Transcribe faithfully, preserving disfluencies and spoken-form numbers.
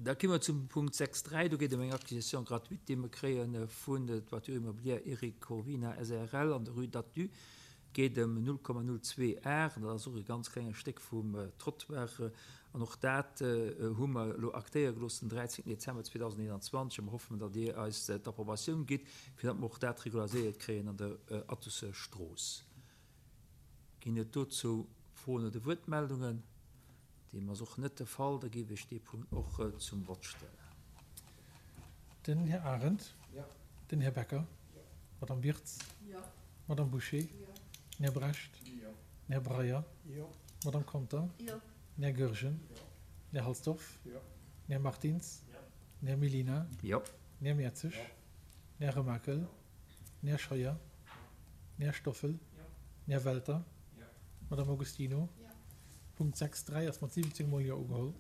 Da komme mer zum Punkt sechs dräi. Do geet et ëm eng Acquisition gratuite, déi mer kréie vun der Toiture immobilière Eric Corvina S A R L an der Rue d'Attu. Et geet ëm null Komma null zwee Ar, dat ass och e ganz klenge Stéck vum Trottoir. An och dat hu mer elo aktéiere gelooss den dräizéngten Dezember zweedausendeenanzwanzeg. A mer hoffen, datt Dir eis d'Approbatioun gitt, fir datt mer och dat regulariséiert kréien an der Attusser Strooss. Ginn et dozou Froen oder Wuertmeldungen? Deem ass och net de Fall. Da géif ech dee Punkt och zum Vott stellen. Den Här Arendt. Jo. Den Här Becker. Jo. D'Madame Wirtz. Jo. D'Madame Bouché. Jo. Den Här Brecht. Jo. Den Här Breyer. Jo. D'Madame Conter. Jo. Den Här Goergen. Jo. Den Här Halsdorf. Jo. Den Här Martins. Jo. Den Här Mellina. Jo. Den Här Mertzig. Jo. Den Här Remakel. Den Här Scheuer. Den Här Stoffel. Jo. Den Här Welter. Jo. D'Madame Augustino. Jo. Punkt sechs dräi ass mat siwwenzéng Mol Jo ugeholl.